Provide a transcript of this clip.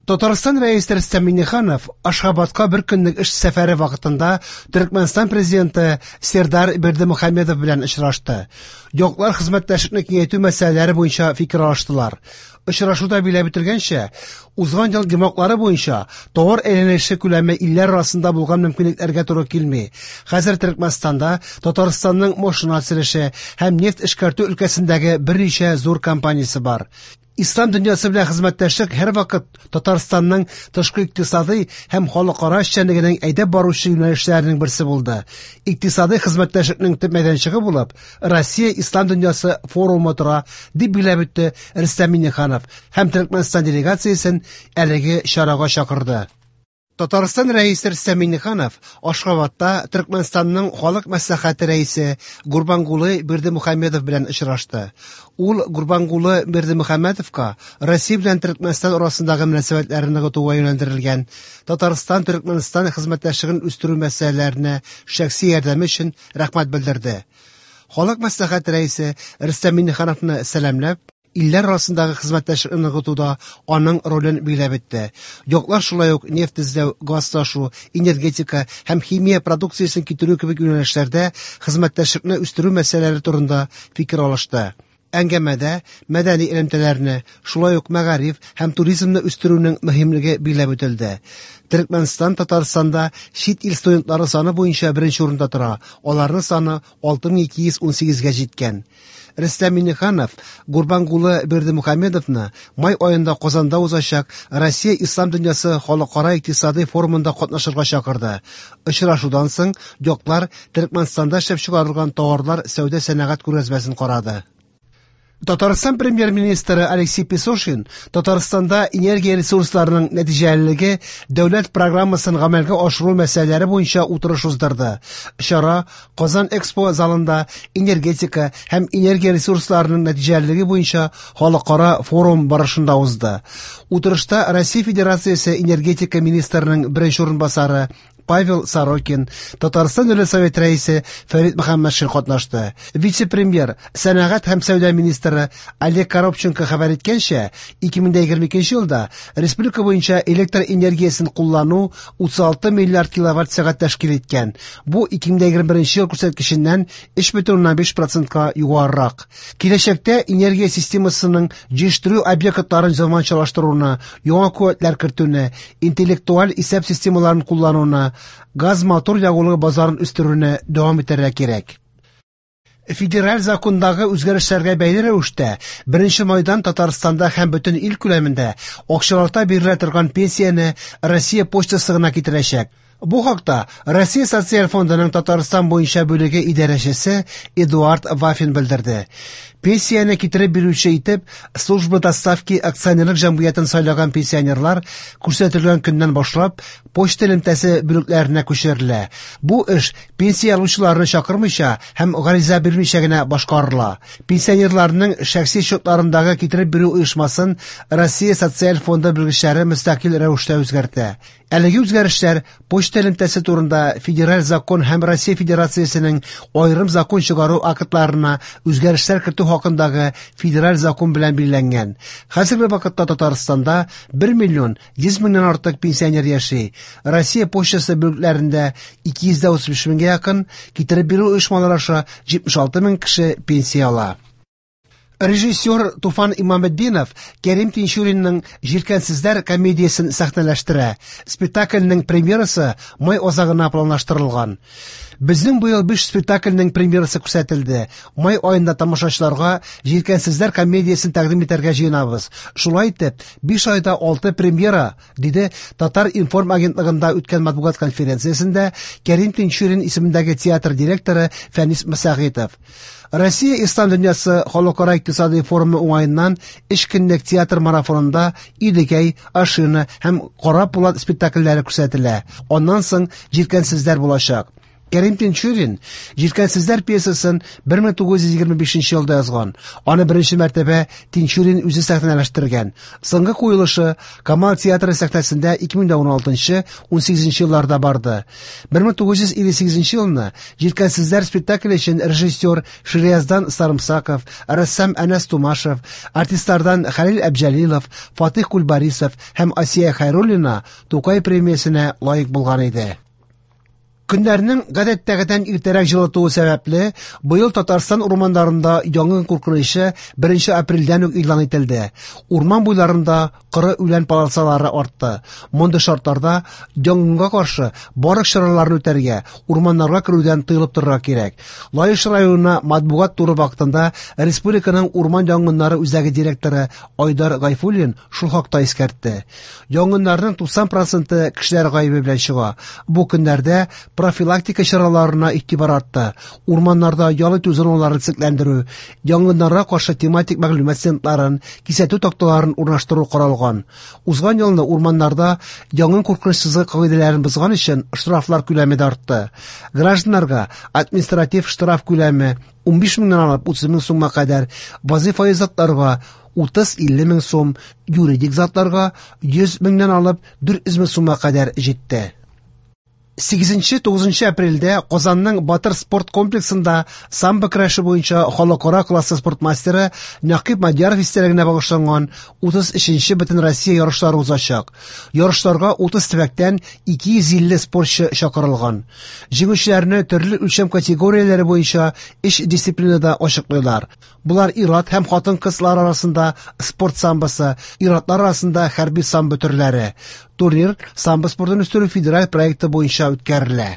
Татарстан Рәисе Рөстәм Миңнеханов Ашхабадка бер көнлек эш сәфәре вакытында Төркмәнстан президенты Сердар Бердымөхәмедов белән очрашты. Яклар хезмәттәшлекне киңәйтү мәсьәләләре буенча фикер алыштылар. Очрашуда билгеләп үтелгәнчә, узган ел йомгаклары буенча товар әйләнеше күләме илләр арасында булган мөмкинлекләргә туры килми. Хәзер Төркмәнстанда Татарстанның машина төзелеше һәм нефть эшкәртү өлкәсендәге берничә зур компаниясе бар. Ислам дөньясы белән хезмәттәшлек һәрвакыт Татарстанның тышкы икътисадый һәм халыкара эшчәнлегенең әйдәп баручы юнәлешләренең берсе булды. Икътисадый хезмәттәшлекнең төп мәйданчыгы булып Россия Ислам дөньясы форумы тора, дип билгеләп үтте Рөстәм Миңнеханов һәм Төркмәнстан делегациясен әлеге чарага чакырды. Татарстан Рәисе Рөстәм Миңнеханов Ашхабадта Төркмәнстанның Халык Мәслихәте рәисе Гурбангулы Бердымөхәмедов белән очрашты. Ул Гурбангулы Бердымөхәмедовка Россия белән Төркмәнстан арасындагы мөнәсәбәтләрне ныгытуга юнәлдерелгән Татарстан-Төркмәнстан хезмәттәшлеген үстерү мәсьәләләренә шәхси ярдәме өчен рәхмәт белдерде. Халык Мәслихәте рәисе Рөстәм Миңнехановны сәламләп, илләр арасындагы хезмәттәшлекне ныгытуда аның ролен билгеләп үтте. Яклар шулай ук нефть эзләү, газ ташу, энергетика һәм химия продукциясен китерү кебек юнәлешләрдә хезмәттәшлекне үстерү мәсьәләләре турында фикер алышты. Әңгәмәдә мәдәни элемтәләрне, шулай ук мәгариф һәм туризмны үстерүнең мөһимлеге билгеләп үтелде. Төркмәнстан Татарстанда чит ил студентлары саны буенча беренче урында тора. Аларның саны 6218-гә җиткән. Рөстәм Миңнеханов Гурбангулы Бердымөхәмедовны май аенда Казанда узачак Россия Ислам дөньясы халыкара икътисадый форумында катнашырга чакырды. Очрашудан соң яклар Төркмәнстанда эшләп чыгарылган товарлар сәүдә-сәнәгать күргәзмәсен карады. Татарстан премьер-министры Алексей Песошин Татарстанда энергия ресурсларының нәтиҗәлелеге дәүләт программасын гамәлгә ашыру мәсьәләләре буенча утырыш уздырды. Чара Казан Экспо залында энергетика һәм энергия ресурсларының нәтиҗәлелеге буенча халыкара форум барышында узды. Утырышта Россия Федерациясе энергетика министрының беренче урынбасары Павел Сорокин, Татарстан Дәүләт Советы рәисе Фәрит Мөхәммәтшин катнашты. Вице-премьер, сәнәгать һәм сәүдә министры Олег Коробченко хәбәр иткәнчә, 2022 елда республика буенча электр энергиясен куллану 36 миллиард киловатт-сәгать тәшкил иткән. Бу 2021 ел күрсәткеченнән 3,5%-ка югарырак. Киләчәктә энергия системасының җитештерү объектларын заманчалаштыруны, яңа куәтләр кертүне, интеллектуаль исәп системаларын куллануны, газ-мотор ягулыгы базарын үстерүне дәвам итәргә кирәк. Федераль закондагы үзгәрешләргә бәйле рәвештә 1 майдан Татарстанда һәм бөтен ил күләмендә акчалата бирелә торган пенсияне Россия почтасы гына китерәчәк. Бу хакта Россия Социаль фондының Татарстан буенча бүлеге идарәчесе Эдуард Вафин белдерде. Пенсияне китереп бирүче итеп Служба доставки акционерлык җәмгыятен сайлаган пенсионерлар күрсәтелгән көннән башлап почта элемтәсе бүлекләренә күчерелә. Бу эш пенсия алучыларны чакырмыйча һәм гариза бирмичә генә башкарыла. Пенсионерларның шәхси счетларындагы китереп бирү оешмасын Россия Социаль фонды белгечләре мөстәкыйль рәвештә үзгәртә. Әлеге үзгәрешләр почта элемтәсе турында федераль закон һәм Россия Федерациясенең аерым закон чыгару актларына үзгәрешләр кертү хакындагы федераль закон белән билгеләнгән. Хәзерге вакытта Татарстанда 1 миллион 100 меңнән артык пенсионер яши. Россия почтасы бүлекләрендә 235 меңгә якын, китереп бирү оешмалары аша 76 мең кеше пенсия ала. Режиссер Туфан Имаметдинов Кәрим Тинчуринның «Җилкәнсезләр» комедиясен сәхнәләштерә. Спектакльнең премьерасы май азагына планлаштырылган. Безнең быел 5 спектакльнең премьерасы күрсәтелде. Май аенда тамашачыларга «Җилкәнсезләр» комедиясен тәкъдим итәргә җыенабыз. Шулай итеп, 5 айда 6 премьера, диде Татар-информ агентлыгында үткән матбугат конференциясендә Кәрим Тинчурин исемендәге театр директоры Фәнис Мәсәгыйтов. Россия Ислам дөньясы халыкара икътисадый форумы уңаеннан өч көнлек театр марафонында Идегәй, Ашина һәм Кара Пулат спектакльләре күрсәтелә. Аннан соң Җилкәнсезләр булачак. Кәрим Тинчурин «Җилкәнсезләр» пьесасын 1925 елда язган. Аны беренче мәртәбә Тинчурин үзе сәхнәләштергән. Соңгы куелышы Камал театры сәхнәсендә 2016-18 елларда барды. 1958 елны «Җилкәнсезләр» спектакле өчен режиссер Ширияздан Сарымсаков, рәссам Әнәс Тумашев, артистлардан Хәлил Әбҗәлилов, Фатих Кульбарисов һәм Асия Хәйруллина Тукай премиясенә лаек булган иде. Көннәрнең гадәттәгедән иртәрәк җылытуы сәбәпле, быел Татарстан урманнарында янгын куркынычы 1 апрельдән үк игълан ителде. Урман буйларында коры үлән полосалары артты. Мондый шартларда янгынга каршы барлык чараларны үтәргә, урманнарга керүдән тыелып торырга кирәк. Лаеш районына матбугат туры вакытында республиканың урман янгыннары үзәге директоры Айдар Гайфуллин шул хакта искәртте. Янгыннарның 90 проценты кешеләр гаебе белән чыга. Бу көннәрдә профилактика чараларына игътибар артты. Урманнарда ял итү зоналарын төзекләндерү, янгыннарга каршы тематик мәгълүмат стендларын, кисәтү такталарын урнаштыру каралган. Узган елны урманнарда янгын куркынычсызлыгы кагыйдәләрен бозган өчен штрафлар күләме дә артты. Гражданнарга административ штраф күләме 15 меңнән алып 30 мең сумга кадәр, вазифаи затларга 30-50 мең сум, юридик затларга 100 меңнән алып 400 мең сумга кадәр җитте. 8-9 апрельдә Казанның Батыр спорт комплексында самбо көрәше буенча халыкара классы спорт мастеры Нәкыйп Мадьяров истәлегенә багышланган 33-нче Бөтенроссия ярышлары узачак. Ярышларга 30 төбәктән 250 спортчы чакырылган. Җиңүчеләрне төрле үлчәм категорияләре буенча өч дисциплинада ачыклыйлар. Болар ир-ат һәм хатын-кызлар арасында спорт самбосы, ир-атлар арасында хәрби самбо төрләре. Турнир самбо спортын үстерү федераль проекты буенча үткәрелә.